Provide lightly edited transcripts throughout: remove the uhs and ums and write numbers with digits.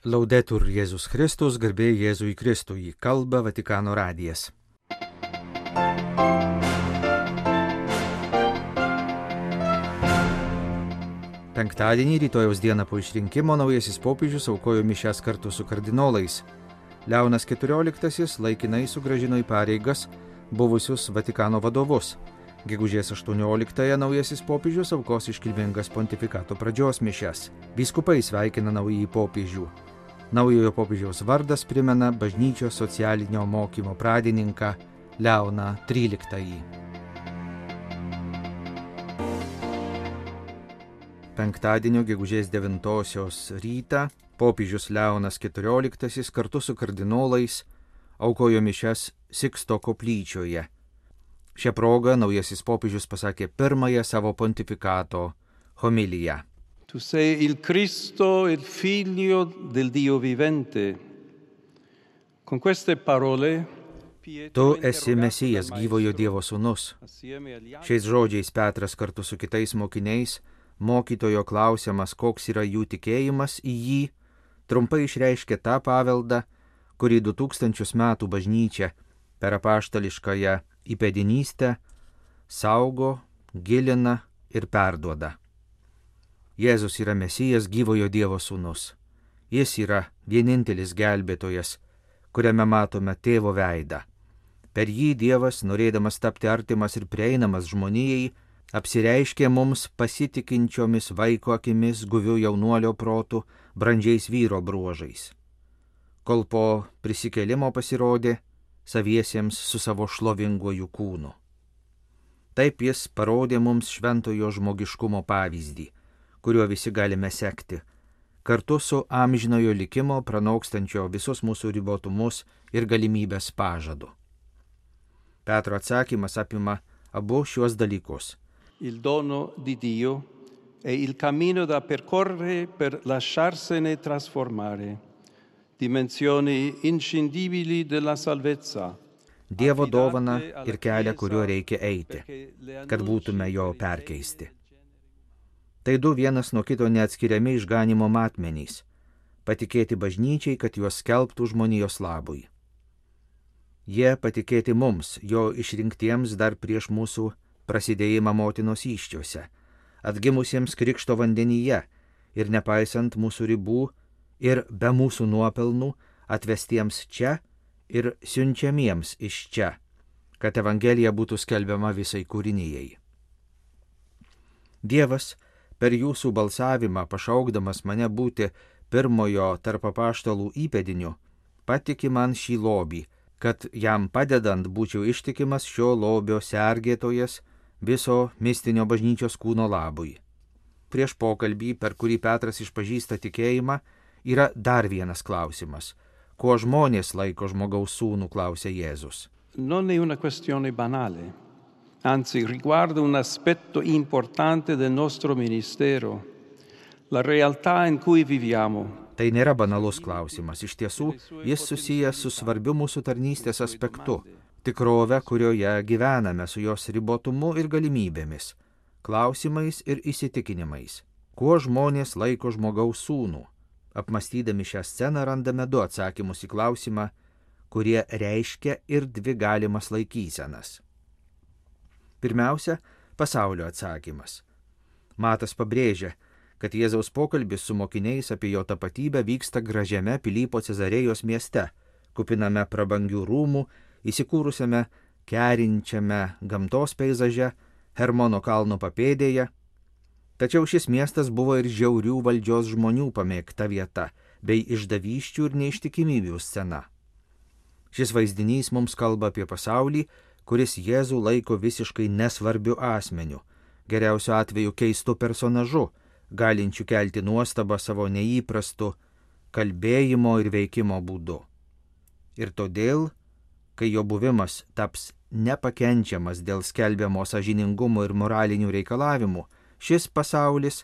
Laudetur Jėzus Kristus, garbė Jėzui Kristui, kalba Vatikano radijas. Penktadienį, rytojaus dieną po išrinkimo, naujasis popiežius aukojo mišias kartu su kardinolais. Leonas XIV laikinai sugrąžino į pareigas buvusius Vatikano vadovus. Gegužės 18-ąją naujasis popiežius aukos iškilmingas pontifikato pradžios mišias. Vyskupai sveikina naująjį popiežių. Naujojo popiežiaus vardas primena bažnyčios socialinio mokymo pradininką Leoną XIII. Penktadienio gegužės 9-osios rytą popiežius Leonas XIV kartu su kardinolais aukojo mišias Siksto koplyčioje. Šią progą naujasis popiežius pasakė pirmąją savo pontifikato homiliją. Tu sei il Cristo, il figlio del Dio vivente. Con queste parole Tu esi Mesijas, gyvojo Dievo sūnus. Šiais žodžiais Petras kartu su kitais mokiniais, mokytojo klausiamas, koks yra jų tikėjimas į jį, trumpai išreiškė tą paveldą, kurį 2000 metų bažnyčia per apaštališkąją įpėdinystę saugo, gilina ir perduoda. Jėzus yra Mesijas, gyvojo Dievo sūnus. Jis yra vienintelis gelbėtojas, kuriame matome tėvo veidą. Per jį Dievas, norėdamas tapti artimas ir prieinamas žmonijai, apsireiškė mums pasitikinčiomis vaiko akimis, guviu jaunuolio protu, brandžiais vyro bruožais. Kol po prisikėlimo pasirodė saviesiems su savo šlovinguoju kūnu. Taip jis parodė mums šventojo žmogiškumo pavyzdį, kuriuo visi galime sekti, kartu su amžinojo likimo pranokstančio visus mūsų ribotumus ir galimybės pažadu. Petro atsakymas apima abu šiuos dalykus. Il dono di Dio è il cammino da percorrere per lasciarsene trasformare, dimensioni inscindibili della salvezza. Dievo dovana ir kelią, kuriuo reikia eiti, kad būtume jo perkeisti. Tai du vienas nuo kito neatskiriami išganimo matmenys, patikėti bažnyčiai, kad juos skelbtų žmonijos labui. Jie patikėti mums, jo išrinktiems dar prieš mūsų prasidėjimą motinos įsčiose, atgimusiems krikšto vandenyje ir nepaisant mūsų ribų ir be mūsų nuopelnų atvestiems čia ir siunčiamiems iš čia, kad evangelija būtų skelbiama visai kūrinijai. Dievas per jūsų balsavimą, pašaukdamas mane būti pirmojo tarp apaštalų įpėdiniu, patiki man šį lobį, kad jam padedant būčiau ištikimas šio lobio sergėtojas viso mistinio bažnyčios kūno labui. Prieš pokalbį, per kurį Petras išpažįsta tikėjimą, yra dar vienas klausimas. Kuo žmonės laiko žmogaus sūnų, klausia Jėzus. Non è una questione banale, anzi riguarda un aspetto importante del nostro ministero, la realtà in cui viviamo. Tai nėra banalus klausimas. Iš tiesų, jis susijęs su svarbiu mūsų tarnystės aspektu, tikrove, kurioje gyvename, su jos ribotumu ir galimybėmis, klausimais ir įsitikinimais. Kuo žmonės laiko žmogaus sūnų? Apmastydami šią sceną randame du atsakymus į klausimą, kurie reiškia ir dvi galimas laikysenas. Pirmiausia, pasaulio atsakymas. Matas pabrėžia, kad Jėzaus pokalbis su mokiniais apie jo tapatybę vyksta gražiame Pilypo Cezarėjos mieste, kupiname prabangių rūmų, įsikūrusiame kerinčiame gamtos peizaže, Hermono kalno papėdėje. Tačiau šis miestas buvo ir žiaurių valdžios žmonių pamėgta vieta, bei išdavysčių ir neištikimybių scena. Šis vaizdinys mums kalba apie pasaulį, kuris Jėzų laiko visiškai nesvarbiu asmeniu, geriausiu atveju keistu personažu, galinčių kelti nuostabą savo neįprastu kalbėjimo ir veikimo būdu. Ir todėl, kai jo buvimas taps nepakenčiamas dėl skelbiamo sąžiningumo ir moralinių reikalavimų, šis pasaulis,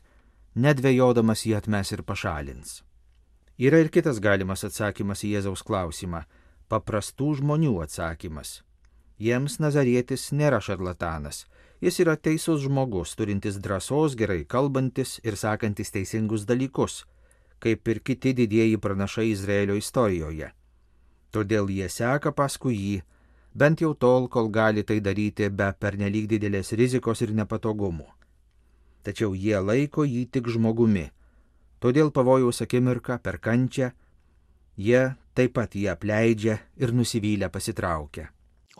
nedvejodamas jį atmes ir pašalins. Yra ir kitas galimas atsakymas į Jėzaus klausimą – paprastų žmonių atsakymas. Jiems Nazarietis nėra šarlatanas, Jis yra teisus žmogus, turintis drąsos, gerai kalbantis ir sakantis teisingus dalykus, kaip ir kiti didieji pranašai Izraelio istorijoje. Todėl jie seka paskui jį, bent jau tol, kol gali tai daryti be pernelyg didelės rizikos ir nepatogumų. Tačiau jie laiko jį tik žmogumi, todėl pavojaus akimirką per kančią jie taip pat jį apleidžia ir nusivylę pasitraukia.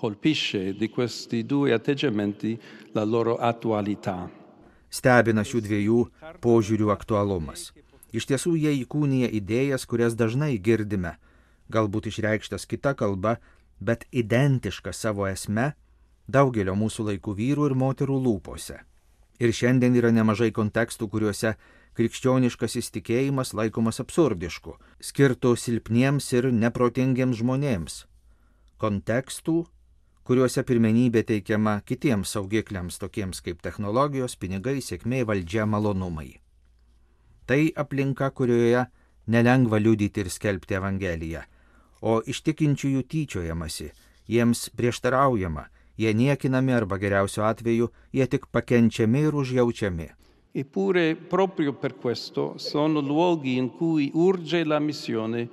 Colpisce di questi due atteggiamenti la loro attualità. Stebina šių dviejų požiūrių aktualumas. Iš tiesų jie įkūnija idėjas, kurias dažnai girdime, galbūt išreikštas kita kalba, bet identiška savo esme daugelio mūsų laikų vyrų ir moterų lūpose. Ir šiandien yra nemažai kontekstų, kuriuose krikščioniškasis tikėjimas laikomas absurdišku, skirtų silpniems ir neprotingiems žmonėms. Kontekstų, kuriuose pirmenybė teikiama kitiems saugikliams, tokiems kaip technologijos, pinigai, sėkmė, valdžia, malonumai. Tai aplinka, kurioje nelengva liudyti ir skelbti Evangeliją, o iš tikinčiųjų tyčiojamasi, jiems prieštaraujama, jie niekinami arba geriausiu atveju jie tik pakenčiami ir užjaučiami. Eppure proprio per questo sono luoghi in cui urge la missione,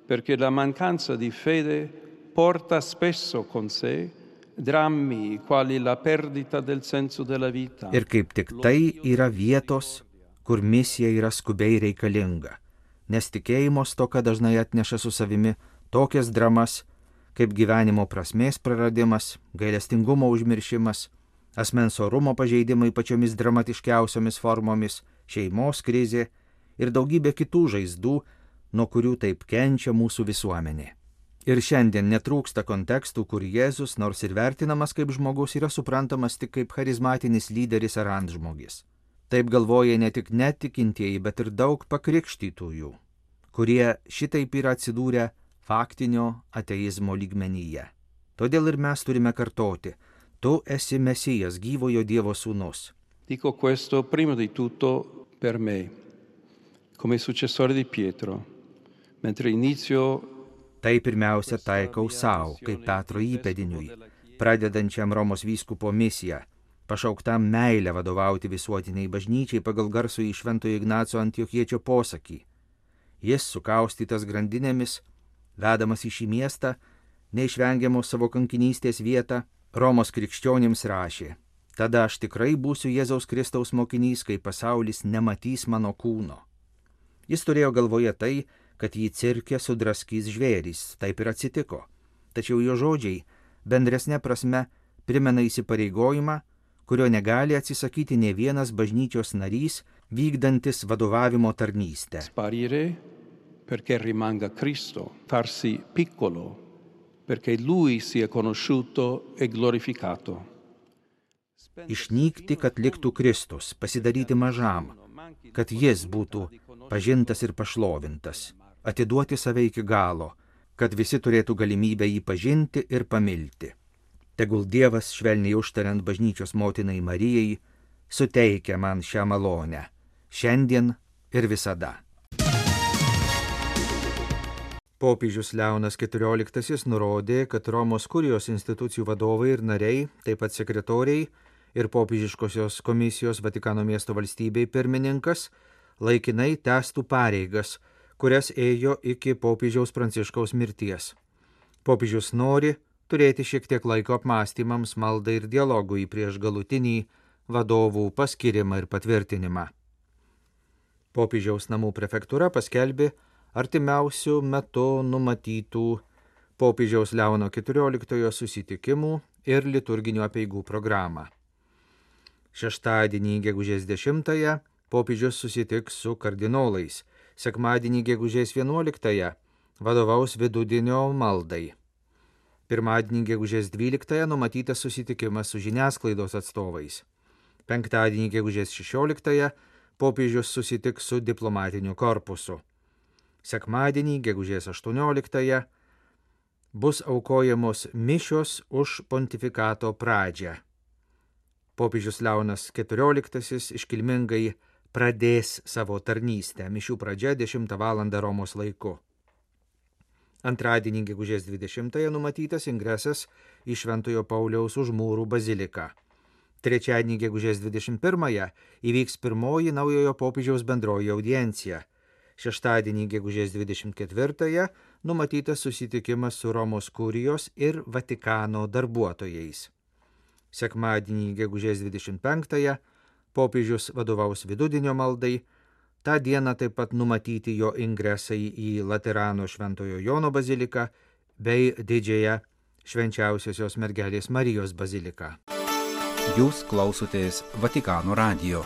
perché la mancanza di fede porta spesso con sé drammi quali la perdita del senso della vita. Ir kaip tik tai yra vietos, kur misija yra skubiai reikalinga, nes tikėjimo stoka dažnai atneša su savimi tokias dramas, kaip gyvenimo prasmės praradimas, gailestingumo užmiršimas, asmens orumo pažeidimai pačiomis dramatiškiausiomis formomis, šeimos krizė ir daugybė kitų žaizdų, nuo kurių taip kenčia mūsų visuomenė. Ir šiandien netrūksta kontekstų, kur Jėzus, nors ir vertinamas kaip žmogus, yra suprantamas tik kaip charizmatinis lyderis ar antžmogis. Taip galvoja ne tik netikintieji, bet ir daug pakrikštytųjų, kurie šitaip yra atsidūrę faktinio ateizmo lygmenyje. Todėl ir mes turime kartoti: tu esi Mesijas, gyvojo Dievo sūnus. Dico questo prima di tutto per me, come successore di Pietro, mentre inizio. Tai pirmiausia taikau savo, kaip Petro įpėdiniui, pradedančiam Romos vyskupo misiją, pašauktam meilę vadovauti visuotiniai bažnyčiai pagal garsų į Šventojo Ignaco Antiochiečio posakį. Jis, sukaustytas grandinėmis, vedamas į šį miestą, neišvengiamo savo kankinystės vietą, Romos krikščionims rašė: tada aš tikrai būsiu Jėzaus Kristaus mokinys, kai pasaulis nematys mano kūno. Jis turėjo galvoje tai, kad jį cirke sudraskys žvėrys, taip ir atsitiko. Tačiau jo žodžiai bendresne prasme primena įsipareigojimą, kurio negali atsisakyti ne vienas bažnyčios narys, vykdantis vadovavimo tarnystę. Sparire perché rimanga Cristo, farsi piccolo perché Lui sia conosciuto e glorificato. Išnykti, kad liktų Kristus, pasidaryti mažam, kad jis būtų pažintas ir pašlovintas, atiduoti save iki galo, kad visi turėtų galimybę jį pažinti ir pamilti. Tegul Dievas, švelniai užtariant bažnyčios motinai Marijai, suteikia man šią malonę, šiandien ir visada. Popiežius Leonas XIV nurodė, kad Romos kurijos institucijų vadovai ir nariai, taip pat sekretoriai ir popiežiškosios komisijos Vatikano miesto valstybei pirmininkas laikinai tęstų pareigas, kurias ėjo iki popiežiaus Pranciškaus mirties. Popiežius nori turėti šiek tiek laiko apmąstymams, maldai ir dialogui prieš galutinį vadovų paskirimą ir patvirtinimą. Popiežiaus namų prefektūra paskelbė artimiausių metų numatytų popiežiaus Leono XIV susitikimų ir liturginių apeigų programą. Šeštadienį gegužės 10-ąją popiežius susitiks su kardinolais, sekmadienį gegužės 11-ąją vadovaus vidudienio maldai. Pirmadienį gegužės 12-ąją numatytas susitikimas su žiniasklaidos atstovais. Penktadienį gegužės 16-ąją popiežius susitiks su diplomatiniu korpusu. Sekmadienį gegužės 18-ąją bus aukojamos mišios už pontifikato pradžią. Popiežius Leonas XIV iškilmingai pradės savo tarnystę, mišių pradžia 10 val. Romos laiku. Antradienį gegužės 20-ąją numatytas ingresas į Šventojo Pauliaus Užmūrų baziliką. Trečiadienį gegužės 21-ąją įvyks pirmoji naujojo popiežiaus bendroji audiencija. Šeštadienį, gegužės 24-ąją, numatytas susitikimas su Romos kurijos ir Vatikano darbuotojais. Sekmadienį, gegužės 25-ąją, popiežius vadovaus vidudienio maldai. Ta diena taip pat numatyti jo ingresai į Laterano Šventojo Jono baziliką bei didžiąją Švenčiausiosios mergelės Marijos baziliką. Jūs klausotės Vatikano radijo.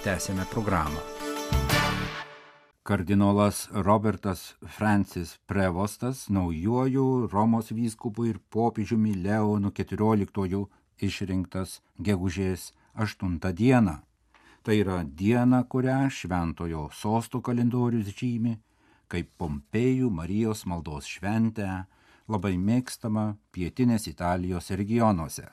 Tęsėme programą. Kardinolas Robertas Francis Prevostas naujuoju Romos vyskupu ir popiežiumi Leonu XIV išrinktas gegužės 8 dieną. Tai yra diena, kurią šventojo sosto kalendorius žymi kaip Pompėjų Marijos maldos šventę, labai mėgstama pietinės Italijos regionuose.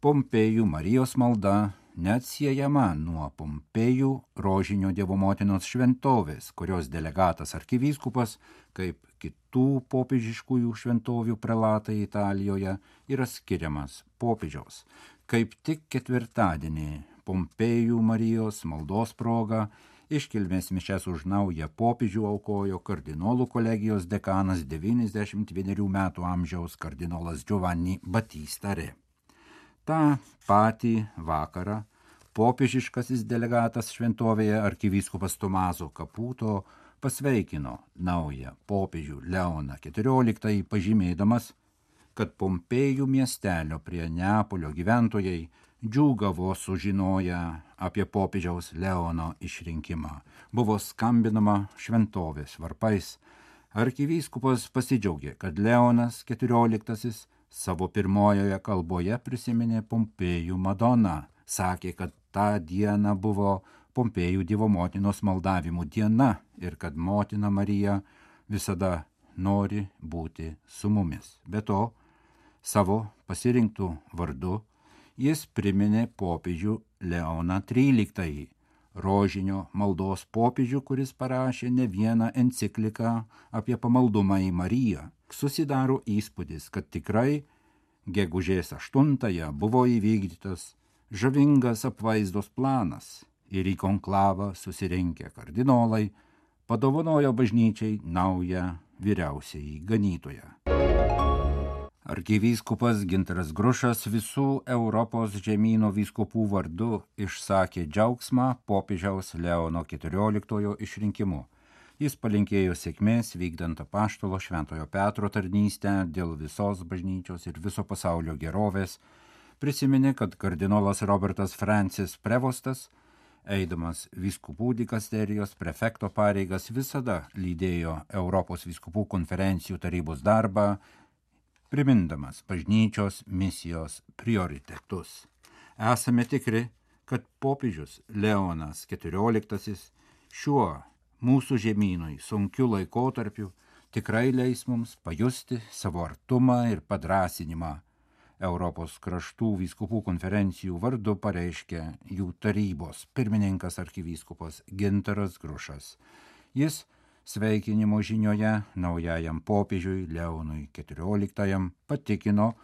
Pompėjų Marijos malda neatsiejama nuo Pompėjų Rožinio Dievo motinos šventovės, kurios delegatas arkivyskupas, kaip kitų popiežiškųjų šventovių prelatai Italijoje, yra skiriamas popiežiaus. Kaip tik ketvirtadienį Pompėjų Marijos maldos proga iškilmės mišias už naują popiežių aukojo kardinolų kolegijos dekanas 91 metų amžiaus kardinolas Giovanni Battista Re. Ta patį vakarą popiežiškasis delegatas šventovėje arkivyskupas Tomaso Caputo pasveikino naują popiežių Leoną XIV, pažymėdamas, kad Pompėjų miestelio prie Neapolio gyventojai džiūgavo sužinoję apie popiežiaus Leono išrinkimą. Buvo skambinama šventovės varpais. Arkivyskupas pasidžiaugė, kad Leonas XIV savo pirmojoje kalboje prisiminė Pompėjų Madoną. Sakė, kad tą dieną buvo Pompėjų Dievo motinos maldavimų diena ir kad motina Marija visada nori būti su mumis. Be to, savo pasirinktų vardu jis priminė popiežių Leoną XIII, rožinio maldos popiežių, kuris parašė ne vieną encikliką apie pamaldumą į Mariją. Susidaro įspūdis, kad tikrai gegužės 8 buvo įvykdytas žavingas apvaizdos planas ir į konklavą susirinkę kardinolai padovanojo bažnyčiai naują vyriausiąjį ganytoją. Arkivyskupas Gintaras Grušas visų Europos žemyno vyskupų vardu išsakė džiaugsmą popiežiaus Leono XIV išrinkimu. Jis palinkėjo sėkmės vykdant apaštalo Šventojo Petro tarnystę dėl visos bažnyčios ir viso pasaulio gerovės. Prisiminė, kad kardinolas Robertas Francis Prevostas, eidamas vyskupų dikasterijos prefekto pareigas, visada lydėjo Europos vyskupų konferencijų tarybos darbą, primindamas bažnyčios misijos prioritetus. Esame tikri, kad popiežius Leonas XIV šiuo mūsų žemynui sunkiu laikotarpiu tikrai leis mums pajusti savo artumą ir padrąsinimą. Europos kraštų vyskupų konferencijų vardu pareiškė jų tarybos pirmininkas arkivyskupas Gintaras Grušas. Jis sveikinimo žinioje naujajam popiežiui Leonui XIV patikino,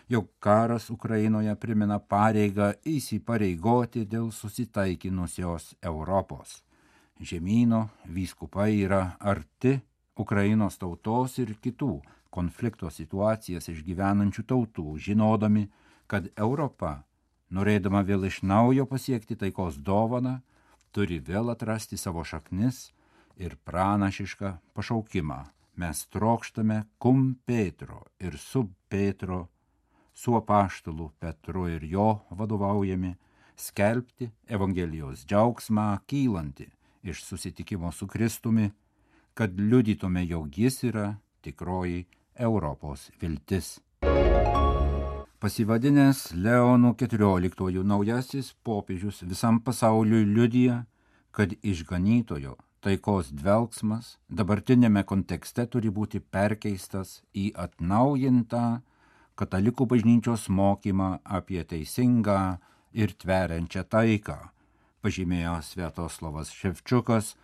jog karas Ukrainoje primena pareigą įsipareigoti dėl susitaikinusios Europos. Žemyno vyskupai yra arti Ukrainos tautos ir kitų konflikto situacijas išgyvenančių tautų, žinodami, kad Europa, norėdama vėl iš naujo pasiekti taikos dovaną, turi vėl atrasti savo šaknis ir pranašišką pašaukimą. Mes trokštame cum Petro ir sub Petro, su apaštalu Petru ir jo vadovaujami, skelbti Evangelijos džiaugsmą kylanti iš susitikimo su Kristumi, kad liudytume, jog jis yra tikroji Europos viltis. Pasivadinęs Leonu XIV naujasis popiežius visam pasauliui liudija, kad išganytojo taikos dvelksmas dabartinėme kontekste turi būti perkeistas į atnaujintą katalikų bažnyčios mokymą apie teisingą ir tveriančią taiką, pažymėjo Sviatoslavas Ševčiukas,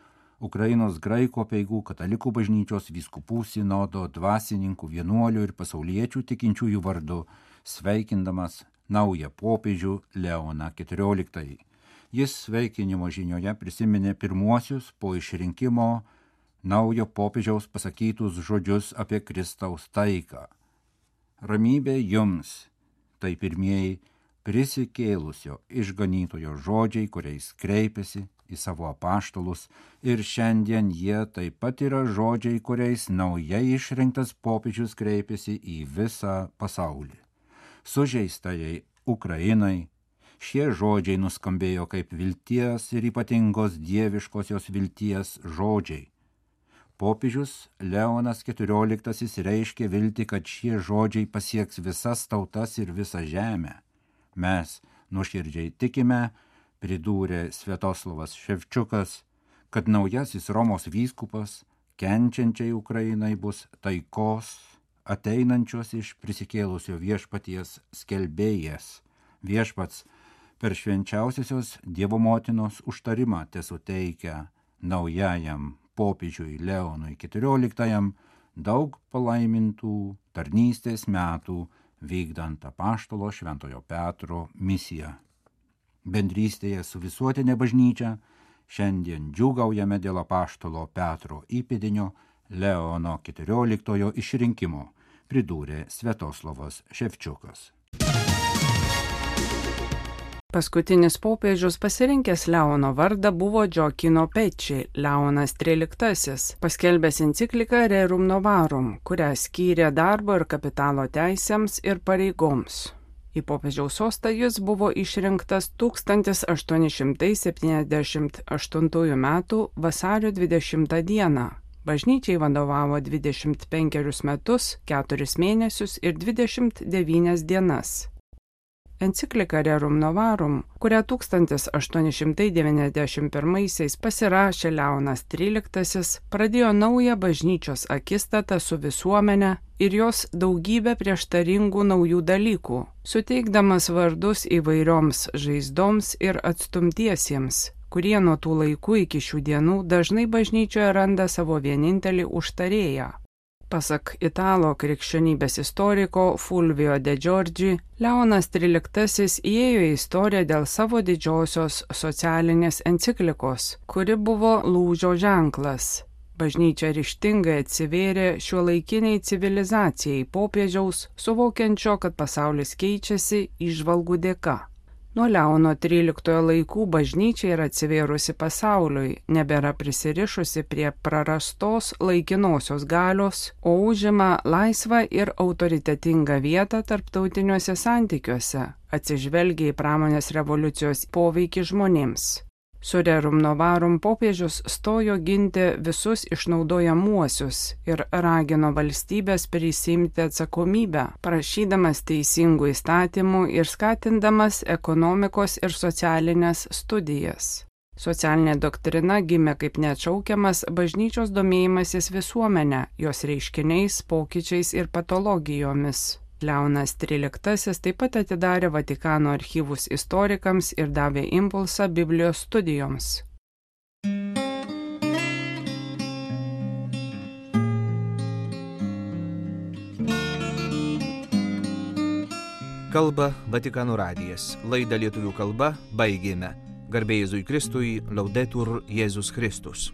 Ukrainos graikų apeigų katalikų bažnyčios vyskupų sinodo dvasininkų, vienuolių ir pasauliečių tikinčiųjų vardu, sveikindamas naują popiežių Leoną XIV. Jis sveikinimo žinioje prisiminė pirmuosius po išrinkimo naujo popiežiaus pasakytus žodžius apie Kristaus taiką. Ramybė jums, tai pirmieji prisikėlusio išganytojo žodžiai, kuriais kreipiasi į savo apaštalus, ir šiandien jie taip pat yra žodžiai, kuriais naujai išrinktas popiežius kreipiasi į visą pasaulį. Sužeistajai Ukrainai šie žodžiai nuskambėjo kaip vilties ir ypatingos dieviškosios vilties žodžiai. Popiežius Leonas XIV reiškė viltį, kad šie žodžiai pasieks visas tautas ir visą žemę. Mes nuoširdžiai tikime, pridūrė Sviatoslavas Ševčiukas, kad naujasis Romos vyskupas kenčiančiai Ukrainai bus taikos, ateinančios iš prisikėlusio viešpaties skelbėjas. Viešpats per švenčiausiosios Dievo motinos užtarimą tesuteikia naujajam popiežiui Leonui XIV daug palaimintų tarnystės metų vykdant apaštalo Šventojo Petro misiją. Bendrystėje su visuotinė bažnyčia šiandien džiūgaujame dėl apaštalo Petro įpėdinio Leono XIV išrinkimo, pridūrė Sviatoslavas Ševčiukas. Paskutinis popiežius pasirinkęs Leono vardą buvo Gioacchino Pecci, Leonas XIII, paskelbęs encikliką Rerum Novarum, kurią skyrė darbo ir kapitalo teisėms ir pareigoms. Į popiežiaus sostą jis buvo išrinktas 1878 m. vasario 20 d. Bažnyčiai vadovavo 25 metus, 4 mėnesius ir 29 dienas. Enciklika Rerum Novarum, kurią 1891 pasirašė Leonas XIII, pradėjo naują bažnyčios akistatą su visuomene ir jos daugybę prieštaringų naujų dalykų, suteikdamas vardus įvairioms žaizdoms ir atstumtiesiems, kurie nuo tų laikų iki šių dienų dažnai bažnyčioje randa savo vienintelį užtarėją. Pasak italo krikščionybės istoriko Fulvio De Giorgi, Leonas XIII įėjo į istoriją dėl savo didžiosios socialinės enciklikos, kuri buvo lūžio ženklas. Bažnyčia ryžtingai atsivėrė šiuolaikiniai civilizacijai popiežiaus, suvokiančio, kad pasaulis keičiasi įžvalgų dėka. Nuo Leono XIII laikų bažnyčia yra atsivėrusi pasauliui, nebėra prisirišusi prie prarastos laikinosios galios, o užima laisvą ir autoritetingą vietą tarptautiniuose santykiuose, atsižvelgia į pramonės revoliucijos poveikį žmonėms. Su Rerum Novarum popiežius stojo ginti visus išnaudojamuosius ir ragino valstybės prisiimti atsakomybę, prašydamas teisingų įstatymų ir skatindamas ekonomikos ir socialinės studijas. Socialinė doktrina gimė kaip neatšaukiamas bažnyčios domėjimasis visuomenę, jos reiškiniais, pokyčiais ir patologijomis. Leonas XIII taip pat atidarė Vatikano archyvus istorikams ir davė impulsą Biblijos studijoms. Kalba Vatikano radijas. Laidą lietuvių kalba baigėme. Garbė Jėzui Kristui, Laudetur Jėzus Kristus.